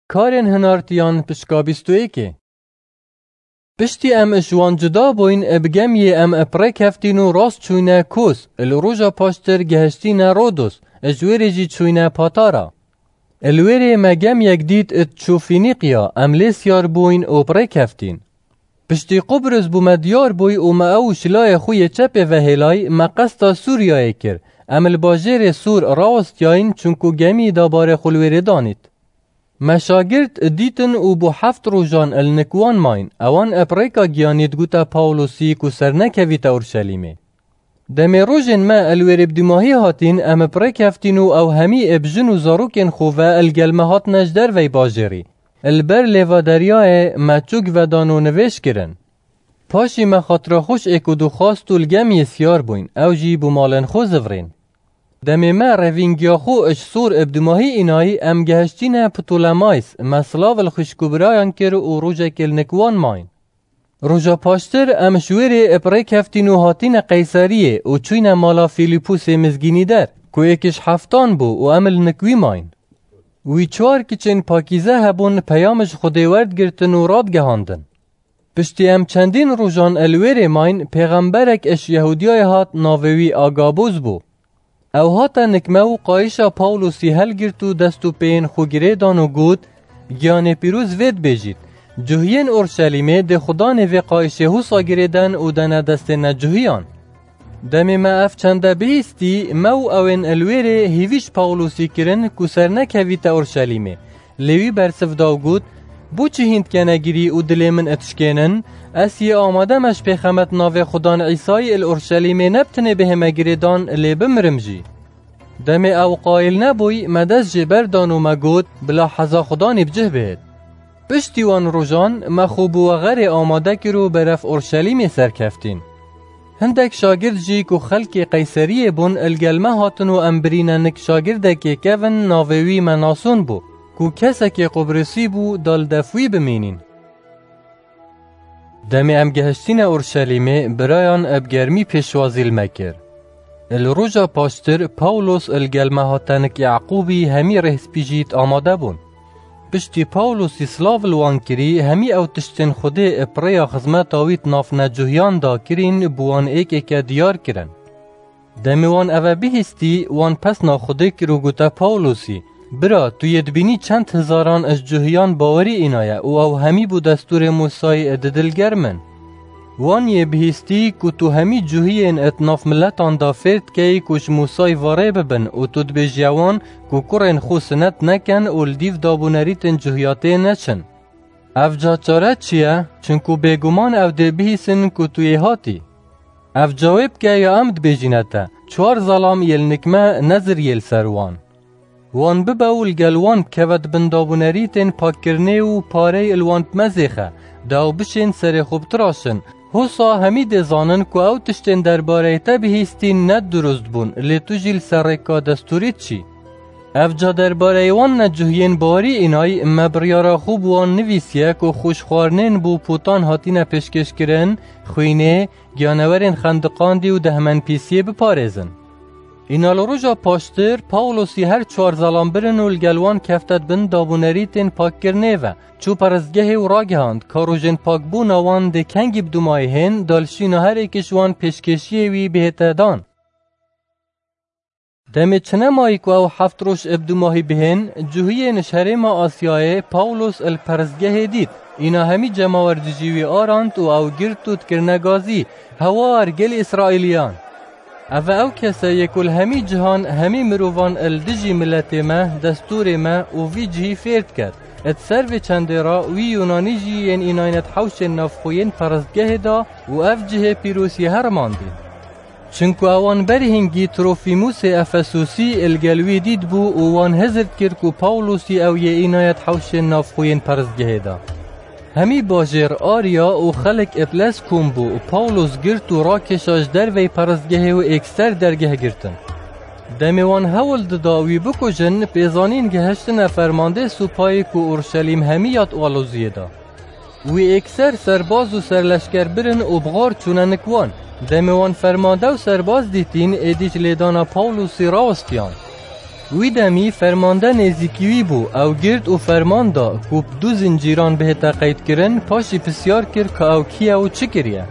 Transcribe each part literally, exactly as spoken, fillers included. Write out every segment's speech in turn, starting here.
Karên hinartiyan pişka bîst û yekê. Piştî em ji wan cuda bûyn, bi gemiyê em bi rê keftîn û rast çûyne Kos, li roja paştir gehiştîne Rodos, ji wêrê jî çûyne Patara. Li wêrê me gemiyek dît diçû Fînîqya, em lê siyar bûyn û bi rê keftîn. Piştî Qubrus bû me diyar bûy û me ew ji layê xwe yê çepê ve hêlay, me qesta Sûriyayê kir. Em li bajêrê Sûr rawestiyayîn, çunku gemî dabarê xwe li wêrê danît. Me şagirt dîtin û bû heft rojan li nik wan mayîn. Ewan bi rêka giyanî digote Pawlosî ku sernekevîte Urşelîmê. Demê rojên me li wêrê bi dûmahî hatîn, em bi rê keftîn û ew hemî ê bi jin û zarokên xwe ve li gel me hatine ji dervey bajêrî. Li ber lêva deryayê me çûk vedan û nivêj kirin. Paşî me xatira xwe ji êk û du xwest û li gemiyê siyar bûyn, ew jî bû malên xwe zivirîn. Demê me revîngiya xwe ji Sûr bi dûmahî înayî, em gehiştîne Ptolemays, me silav li xwişk û birayan kir û rojekê li nik wan mayîn. Roja paştir em ji wêrê bi rê keftîn û hatîne Qeyseriyê û çûyne mala Fîlîpusê mizgînîder, ku êk ji heftan bû û em li nik wî mayîn. Wî çar kiçên pakîze hebûn, peyam ji Xwedê werdigirtin û radgihandin. Piştî em çendîn rojan li wêrê mayîn, pêxemberek ji Yehûdiyayê hat, navê wî Agabus bû. Ew hate nik me û qayîşa Pawlosî helgirt û dest û pêyên xwe girê dan û got, Giyanê pîroz vê dibêjît, cuhiyên Orşelîmê dê xudanê vê qayîşê husa girêden û dene destê necuhiyan. Demê me ev çende bihîstî, me û ewên li wêrê hîvî ji Pawlosî kirin ku sernekevîte Orşelîmê. Lê wî bersiv da û got, Bo çi hîn dikene girî û dilê min dişkênin? Ez yê amade me ji pêxemet navê Xudan Îsayî li Orşelîmê ne bi tinê bihême girêdan, lê bimirim jî. Demê ew qayîl nebûy, me dest jê berdan û me got, Bila heza Xudanî bi cih bihêt. Piştî wan rojan me xwe bi wexerê amade kir û berev Orşelîmê serkeftîn. Hindek şagird jî ku xelkê Qeyseriyê bûn, li gel me hatin û em birîne nik şagirdekê kevin, navê wî Menason bû, ku kesekê Qubrisî bû, da li def wî bimînîn. Demê em gehiştîne Orşelîmê, birayan bi germî pêşwazî li me kir. Li roja paştir Pawlos li gel me hate nik Yaqûbî, hemî rêhspî jî amade bûn. Piştî Pawlosî silav li wan kirî, hemî ew tiştên Xwedê bi rêya xizmeta wî di nav necuhiyan de kirîn, bi wan êk êke diyar kirin. Demê wan eve bihîstî, wan pesna Xwedê kir û gote Pawlosî, Bira, tu yê dibînî çend hizaran ji cuhiyan bawerî înaye û ew hemî bo destûrê Mûsayî di dilgerm in. Wan yê bihîstî ku tu hemî cuhiyên di nav miletan de fêr dikeyî ku ji Mûsayî varê bibin û tu dibêjiye wan ku kurên xwe sinet nekin û li dîv dabûnerîtên cuhiyatê neçin. Evca çare çi ye? Çinku bêguman ew dê bihîsin ku tu yê hatî. Evca wê bike ya em dibêjîne te, çar zelam yê li nik me neziriyê li ser wan. Wan bibe û li gel wan bikeve di bin dabûnerîtên pakkirinê û parey li wan bimezêxe, da ew bişên serê xwe bitiraşin. Hosa hemî dê zanin ku ew tiştên derbareyê te bihîstîn ne dirust bûn, lê tu jî li ser rêka destûrî diçî. Evca derbareyê wan necuhiyên bawerî înay, me biryara xwe bi wan nivîsiye ku xwe ji xwarinên bo potan hatine pêşkêşkirin, xwînê, giyanewerên xendiqandî û dehmenpîsiyê biparêzin. Îna li roja paştir Pawlosî her çar zelam birin û li gel wan kefte di bin dabûnerîtên pakkirinê ve, çû perestgehê û ragihand ka rojên pakbûna wan dê kengî bi dûmayî hên, da li şîna her êkî ji wan pêşkêşiyê wî bihête dan. Demê çi nemayî ku ew heft roj bi dûmahî bihên, cuhiyên ji herêma Asyayê Pawlos li perestgehê dît. Îna hemî cemawer dijî wî arand û ew girt û dikirine gazî, Hewar, gel Îsraîliyan! Ev e ew kese yê ku li hemî cihan hemî mirovan li dijî miletê me, destûrê me û vî cihî fêr diket. Di ser vê çendê re wî Yunanî jî yên înayne di hewşên navxwe yên perestgehê de û ev cihê pîroz yê herimandî. Çinku ewan berî hingî Trofîmûsê Efesûsî li gel wî dîtbû û wan hizir dikir ku Pawlosî ew yê înaye di hewşên navxwe yên perestgehê de. Hemî bajêr ariya û xelk bi lez kom bû û Pawlos girt û rakêşa ji derveyî perestgehê û êkser dergeh girtin. Demê wan hewl dida wî bikujin, pêzanîn gehiştine fermandê supayê ku Orşelîm hemî ya di aloziyê de. Wî êkser serbaz û serleşker birin û bi xar çûne nik wan. Demê wan fermande û serbaz dîtîn, êdî ji lêdana Pawlosî rawestiyan. Wî demî fermande nêzîkî wî bû, ew girt û ferman da ku bi du zincîran bihête qeydkirin, paşî pisyar kir ka ew kî ye û çi kiriye.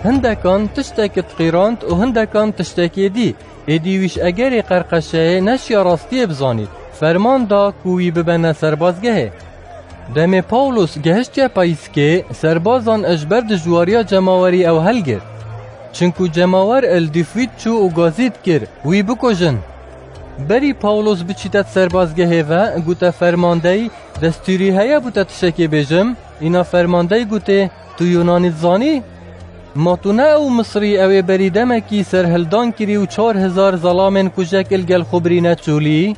Hindekan tiştekî diqîrand û hindekan tiştekê dî. Êdî wî ji egerê qerqeşeyê neşiya rastiyê bizanît. Ferman da ku wî bibene serbazgehê. Demê Pawlos gehiştiye payîskê, serbazan ji ber dijwariya cemawerî ew helgirt. Çinku cemawer li Dîfwît çû û gazî dikir, wî bikujin. Berî Pawlos biçîte di serbazgehê ve, gote fermandeyî, destûrî heye bo te tiştekê bêjim? Îna fermandeyî gotê, tu Yunanî dizanî? Ma tu ne ew Misrî ew ê berî demekî serhildan kirî û çar hezar zelamên kujek li gel xwe birîne çolî?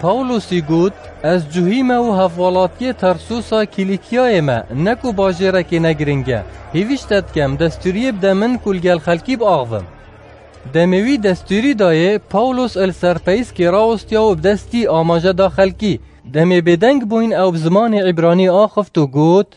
Pawlosî got, ez cuhî me û hevwelatiyê Tarsusa Kîlîkiyayê me, ne ku bajêrekê ne giring e. Hêvîş te dikem, destûriyê bide min ku li gel xelkî biaxivim. Demê wî destûrî dayê, Pawlos li ser peyskê rawestiya û bi destî amaje da xelkî. Demê bêdeng bûyn ew bi zimanê îbranî axift û got,